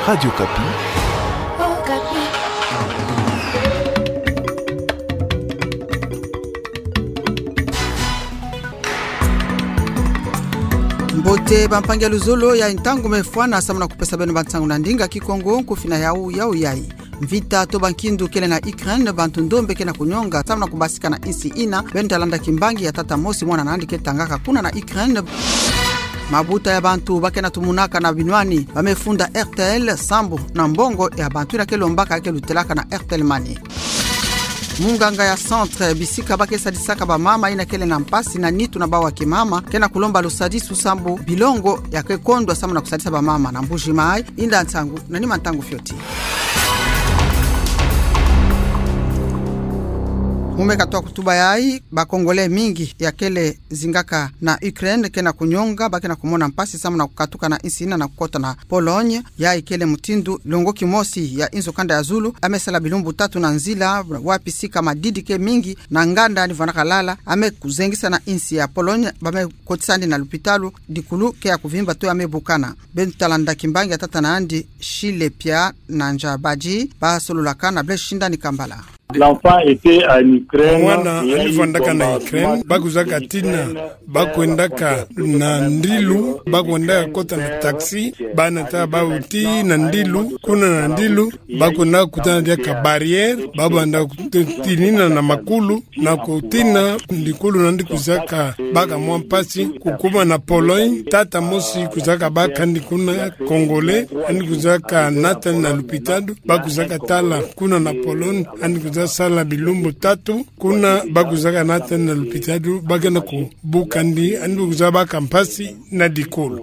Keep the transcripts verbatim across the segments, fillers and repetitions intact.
Radio Okapi. Mbote bampangi ya luzolo, yayi ntangu me fwana samu na kupesa beno bansangu na ndinga Kikongo, nkufi na yawu, yawu yayi. Mvita to bankindu kele na Ukraine, bantu ndombe ke na kunyonga samu na kubasika na insi ina. Beno ta landa kimbangi ya tata mosi, mwana na yandi ke tangaka kuna na Ukraine. Mabuta ya bantu ba ke na tumunaka na binwani ba me funda R T L sambu na mbongo ya bantu ina ke lombaka, ke lutelaka na Airtel Money. Munganga ya centre bisika ba ke sadisaka bamama ina kele na mpasi na nitu na bawu ya kimama ke na kulomba lusadisu sambu bilongo ya ke kondwa samu na kusadisa bamama na Mbuji Mayi. Inda nsangu na nima ntangu fioti. Mu me katwa kutuba yayi, ba Congolais mingi ya kele zingaka na Ukraine ke na kunyonga, ba ke na kumona mpasi samu na kukatuka na insi ina na kukota na Pologne. Yayi kele mutindu longo kimosi ya inzo kanda ya zulu a me sala bilumbu tatu na nzila, wapi sika madidi ke mingi na nganda ni vwanaka lala, a me kuzengisa na insi ya Pologne, ba me kotisa yandi na lupitalu, dikulu ke ya kuvimba to ya me bukana. Beno ta landa kimbangi ya tata na yandi, Shile Pia na Njabadi, ba sololaka na Blaise Shindani Kambala. L'enfant était en Ukraine. Mwana ani vwandaka na Ukraine, ba kuzaka tina, ba kwendaka na ndilu, ba kwendaka kota na taxi, bana ta ba uti na ndilu, kuna na ndilu, ba kwendaka kutana diaka barrière, ba banda kutinina na makulu, na kutina, dikulu na yandi kuzaka baka mwa mpasi, kukuma na Pologne, tata mosi kuzaka baka yandi kuna, Congolais, yandi kuzaka nata yandi na lupitalu, ba kuzaka tala kuna na Pologne, yandi kuza sala bilumbu tatu, kuna ba kuzaka nata yandi na lupitalu, ba ke na kubuka yandi, yandi kuza baka mpasi na dikulu.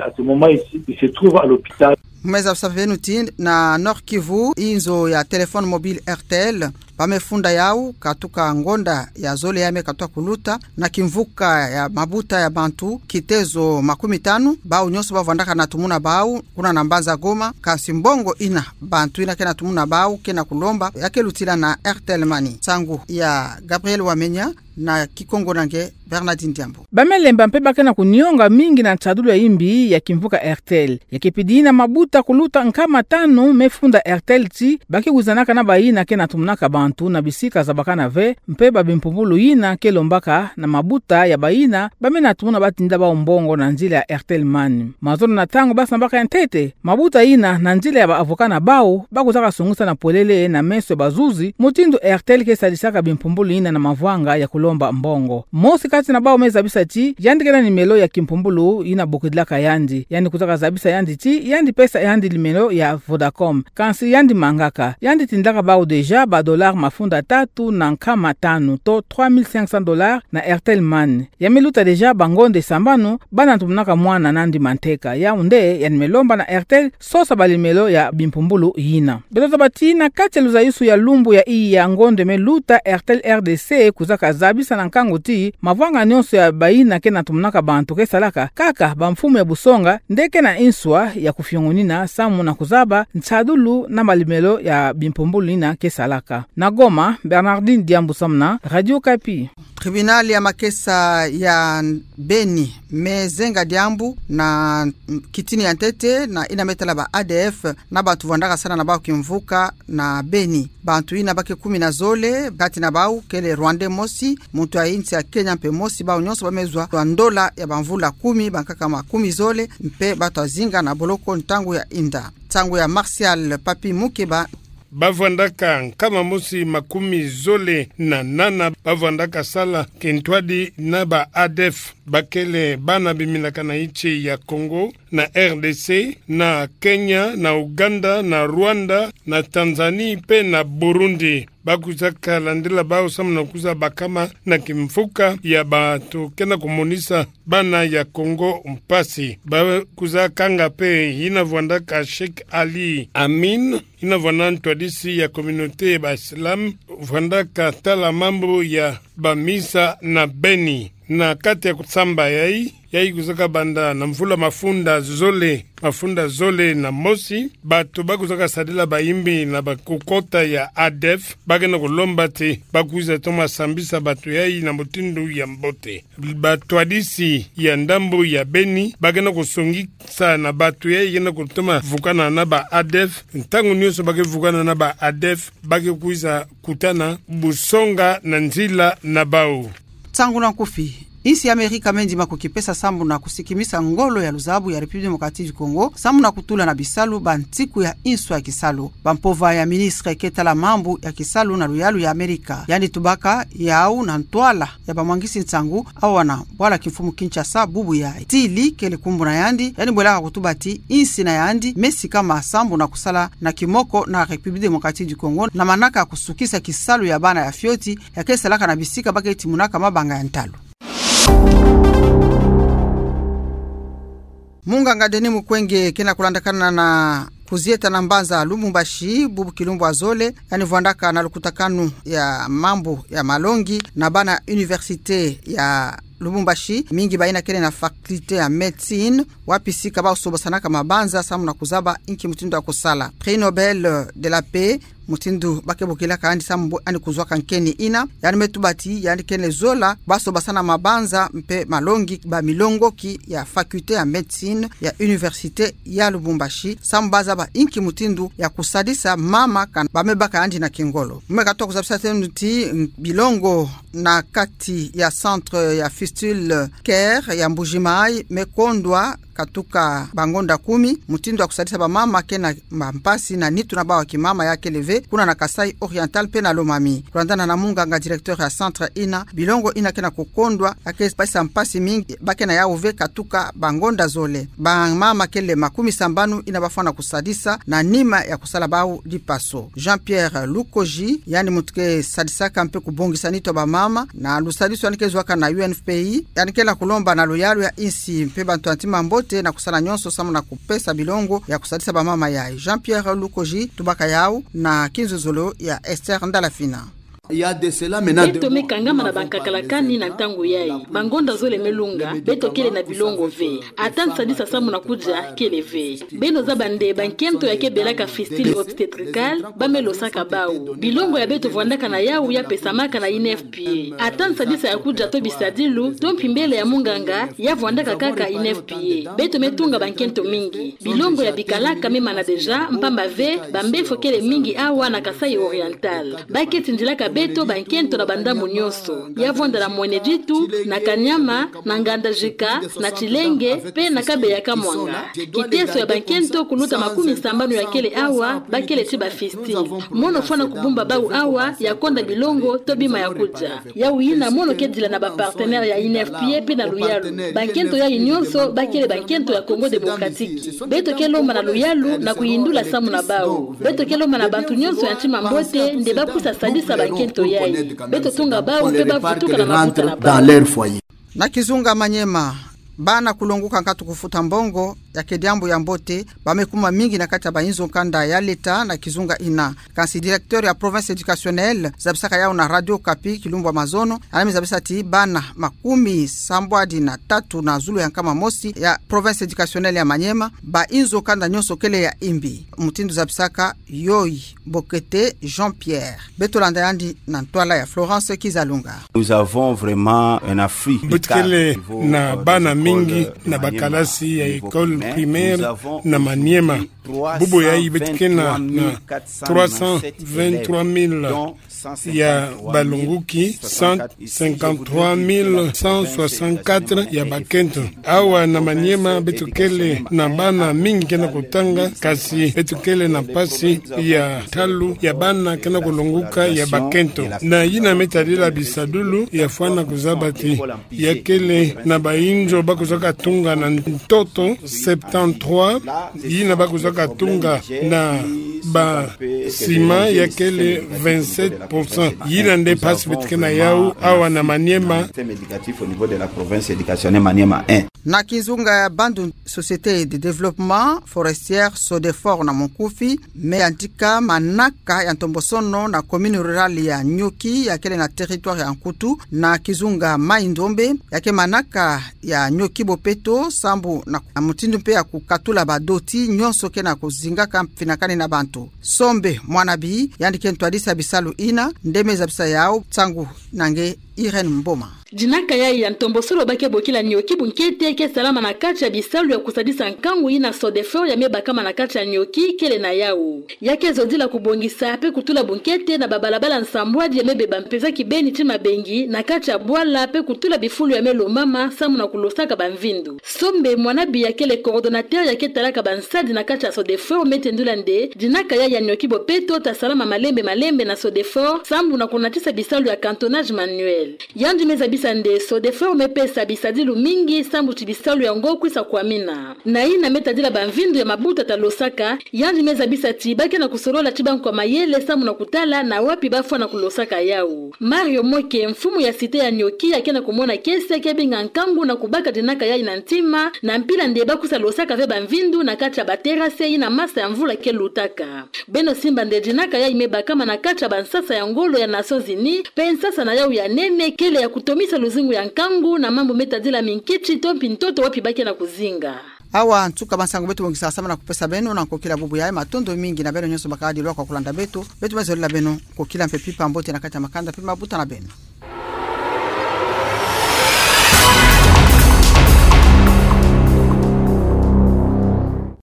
À ce moment ici, il se trouve à l'hôpital. Mu me zabisa beno ti na Nord-Kivu, inzo ya téléphone mobile Airtel, ba me funda yawu, katuka ngonda ya zole ya me katwa kuluta, na kimvuka ya mabuta ya bantu kitezo makumi tanu, bawu nyonso ba vwandaka na tumuna bawu kuna na mbanza Goma, kansi mbongo ina bantu ina ke na tumuna bawu ke na kulomba, ya ke lutila na Airtel Money. Nsangu ya Gabriel Wamenya, na Kikongo na nge Bernardine Diambu. Ba me lemba mpe ba ke na kunyonga mingi na nsadulu ya yimbi ya kimvuka Airtel. Ya ke pidi na mabuta kuluta nkama tanu me funda Airtel ti ba ke wizanaka na bayina ke na tumunaka bantu na bisika zabakana ve, mpe ba bimpumbulu yina ke lombaka na mabuta ya bayina ba me na tumuna batinda bawu mbongo na nzila ya Airtel Money. Mazono na ntangu ba sambaka ya ntete, mabuta yina na nzila ya ba avocat na bawu, ba kuzaka sungisa na polele na meso ya bazuzi mutindu Airtel ke sadisaka bimpumbulu yina na mavwanga ya kulomba mbongo. Mosi kati na bawu me zabisa ti yandi ke na nimelo ya kimpumbulu yina bokidilaka yandi. Yandi kuzaka zabisa yandi ti yandi pesa yandi nimelo ya Vodacom. Kansi yandi mangaka. Yandi tindaka bawu déjà ba dollars mafunda tatu na nkama tanu, to trois mille cinq cents dollars na Airtel Money. Ya me luta déjà bangonde sambanu, banda na tumunaka mwana na yandi manteka. Yawu nde yandi me lomba na Airtel sosa banimelo ya bimpumbulu yina. Beto zaba ti na kati ya luzayusu ya lumbu ya iya ngonde me luta, Airtel R D C kuzaka zabisa na nkangu ti mavwanga nyonso ya bayina ke na tumunaka bantu ke salaka kaka bamfumu ya busonga nde ke na nswa ya kufiongonina samu na kuzaba nsadulu na manimelo ya bimpumbulu yina ke salaka. Na Goma, Bernardine Diambu samu na Radio Okapi. Tribunal ya makesa ya Beni me zenga diambu na kitini ya ntete na yina me tala ba A D F na bantu vwandaka sala na bawu kimvuka na Beni. Bantu yina ba ke kumi na zole, kati na bawu kele Rwandais mosi, muntu ya insi ya Kenya mpe mosi, bawu nyonso ba me zwa ndola ya bamvula kumi, bankaka makumi zole, mpe ba twa zinga na boloko ntangu ya inda. Nsangu ya Martial Papi Mukeba. Ba vwandaka nkama mosi makumi zole na nana ba vwandaka sala kintwadi na ba A D F, ba kele bana bimilakana insi ya Congo, na R D C, na Kenya, na Ouganda, na Rwanda, na Tanzanie mpe na Burundi. Ba kuzaka landila bawu samu na kuza bakama na kimvuka ya bantu ke na kumonisa bana ya Congo mpasi. Ba kuzakanga mpe yina vwandaka Cheikh Ali Amine, yina vwanda ntwadisi ya communauté ya ba Islam, vwandaka tala mambu ya bamisa na Beni. Na kati ya kusamba yayi, yayi kwizaka banda na mvula mafunda zole, mafunda zole na mosi, bato ba kwizaka sadila bayimbi na bakukota ya ADF, ba ke na kulomba ti ba kwiza toma sambisa bato yayi na mutindu ya mbote. Batwadisi ya ndambo ya Beni, ba ke na kusongisa na bato yayi ke na kutoma vukana na ba ADF, ntangu nyonso ba ke vukana na ba ADF, ba ke kwiza kutana busonga na nzila na bau. Nsangu na nkufi. Insi ya Amerika me ndima kukipesa sambu na kusikimisa ngolo ya luzabu ya République Démocratique du Congo, sambu na kutula na bisalu bantiku ya inso ya kisalu. Bampova ya ministre ke tala mambu ya kisalu na luyalu ya Amerika, yandi tubaka yau na ntwala ya bamwangisi nsangu, awa na bwala kimfumu Kinshasa bubu yayi. Tilly kele kumbu na yandi, yandi bwelaka kutuba ti insi na yandi me sikama sambu na kusala na kimoko na République Démocratique du Congo, na manaka kusukisa kisalu ya bana ya fioti, ya ke salaka na bisika ba ke timunaka mabanga ya ntalu. Munganga Denis Mukwege ke na kulandakana na kuzieta na mbanza Lubumbashi, bubu kilumbu ya zole, yandi vwandaka na lukutakanu ya mambu ya malongi na bana université ya Lubumbashi, mingi bayina kele na faculté ya médecine, wapi sika ba sobasanaka mabanza sambu na kuzaba inki mutindu ya kusala. Prix Nobel de la Paix, mutindu ba ke bokilaka yandi sambu yandi kuzwaka nkeni yina, yandi me tuba ti yandi kele zola ba sobasana mabanza mpe malongi bamilongoki ya faculté ya médecine ya université ya Lubumbashi, sambu ba zaba inki mutindu ya kusadisa mama kana ba me baka yandi na kingolo. Mu me katuka kuzabisa tenu ti bilongo na kati ya centre ya Fistule Care ya Mbuji-Mayi me kondwa katuka bangonda kumi, mutindu ya kusadisa bamama ke na bampasi na nitu na bau ya kimama ya kele ve, kuna na Kasaï Oriental mpe na Lomami. Kulandana na munganga directeur ya centre yina, bilongo yina ke na kukondwa, ya ke pesa mpasi mingi, ba ke na yau ve katuka bangonda zole. Bamama kele makumi sambanu yina ba fwana kusadisa na nima ya kusala bau dipaso. Jean-Pierre Lukoji, yandi muntu ke sadisaka mpe kubongisa nitu ya bamama, na lusadisu yandi ke zwaka na U N F P I, yandi ke na kulomba na luyalu ya insi mpe bantu ya ntima mbote na kusala nyonso sambu na kupesa bilongo ya kusadisa bamama yayi. Jean-Pierre Lukoji tubaka yau na kinzuzulu ya Esther Ndalafina. Beto me kangama na bankakala kani na ntangu yayi. Bangonda zole me lunga, beto kele na bilongo ve. Ata nsadisa sambu na kudia kele ve. Beno zaba nde bankento ya ke belaka fistule obstétricale, ba me losaka bau. Bilongo ya beto vwandaka na yau ya pesamaka na I N F P A. Ata nsadisa ya kudia to bisadilu, to mpimbele ya munganga, ya vwandaka kaka I N F P A. Beto me tunga bankento mingi. Bilongo ya bikalaka me mana déjà, mpamba ve, bambefo kele mingi awa na Kasaï Oriental. Ba ke tindilaka beto bankento na bandambu nyonso. Ya vwanda na Mweneditu, na Kanyama, na Ngandajika, na Tshilenge, mpe na Kabeya-Kamwanga. Kiteso ya bankento kuluta makumi sambanu ya kele awa, ba kele ti bafistule. Mono fwana kubumba bau awa, ya konda bilongo, to bima ya kudia. Yau yina mono ke dila na bapartenaire ya I N F P A mpe na luyalu. Bankento yayi nyonso, ba kele bankento ya Congo Démocratique. Beto ke lomba na luyalu, na kuyindula samu na bau. Beto ke lomba na bantu nyonso ya ntima mbote, nde ba kwisa sadisa bankento yayi. Beto tunga bau, mpe ba vutuka na makuta na bau. Na kizunga Maniema, bana kulonguka nkatu kufuta mbongo, ya ke diambu ya mbote, ba me kuma mingi na kati ya bainzo kanda ya leta na kizunga yina. Kansi directeur ya province éducationnelle, zabisaka yau na Radio Okapi, Kilumbu Mazono, yandi me zabisa ti bana makumi sambwadi na tatu na zulu ya nkama mosi ya province éducationnelle ya Maniema, bainzo kanda nyonso kele ya imbi. Mutindu zabisaka Yoyi Bokete Jean-Pierre. Beto landa yandi na ntwala ya Florence Kizalunga. Nous avons vraiment un afflux. Beto kele na bana mingi na bakalasi ya école primaire na Maniema. Bubu yayi beto ke na trois cent vingt-trois mille ya balonguki, cent cinquante-trois mille cent soixante-quatre ya bakento. Awa na Maniema beto kele na bana mingi ke na kutanga, kasi beto kele na mpasi ya ntalu ya bana ke na kulonguka ya bakento. Na yina me tadila bisadulu ya fwana kuzaba ti ya kele na bainzo ba kwizaka tunga na ntoto Septante-trois yina ba kuzaka tunga na ba ciment ya kele vingt-sept pour cent. Yina nde mpasi beto ke na yau awa na Maniema. Na kizunga ya Bandundu, Société de Développement Forestier, Sodefore na monkufi, me yantika manaka ya ntombosono na commune rurale ya Nioki, ya kele na territoire ya Nkutu, na kizunga Maï-Ndombe, ya ke manaka ya Nioki Bopeto, sambu na mutindu mpe ya kukatula badoti nyonso ke na kuzingaka mfinakani na bantu. Sombe Mwanabi, yandi ke ntwadisi ya bisalu yina, nde me zabisa yau, nsangu na nge Irène Mboma. Dinaka yayi ya ntombosono ba ke bokila Nioki bunkete ke salama na kati ya bisalu ya kusadisa nkangu yina Sodefore ya me bakama na kati ya Nioki kele na yau. Ya ke zodila kubongisa mpe kutula bunkete na babalabala nsambwadi ya me beba mpeza kibeni ti mabengi na kati ya bwala mpe kutula bifulu ya me lombama sambu na kulosaka bamvindu. Sombe Mwanabi ya kele coordonnateur ya ke talaka bansadi na kati ya Sodefore me tendula nde dinaka yayi ya Nioki Bopeto ta salama malembe malembe na Sodefore sambu na kunatisa bisalu ya cantonnage manuel. Yandi me zabisa nde Sodefore me pesa bisadilu mingi sambu ti bisalu yango kwisa kwamina. Na yina me tadila bamvindu ya mabuta ta losaka, yandi me zabisa ti ba ke na kusolola ti bankwa mayele sambu na kutala na wapi ba fwa na kulosaka yau. Mario Moke, mfumu ya cité ya Nioki, ya ke na kumona kiese ke binga nkangu na kubaka dinaka yayi na ntima, na mpila nde ba kwisa losaka ve bamvindu na kati ya baterase yina masa ya mvula ke lutaka. Beno simba nde dinaka yayi me bakama na kati ya bansasa ya ngolo ya Nations Unies, mpe nsasa na yau ya nene kele ya kutomisa luzingu ya nkangu na mambu me tadila minkiti to mpi ntoto wapi ba ke na kuzinga. Awa nsuka bansangu beto bongisa sambu na kupesa beno na nkokila bubu yayi. Matondo mingi na beno nyonso bakadi lwa kwa kulanda beto. Beto me zolila beno nkokila mpe mpimpa mbote na kati ya makanda mpe mabuta na beno.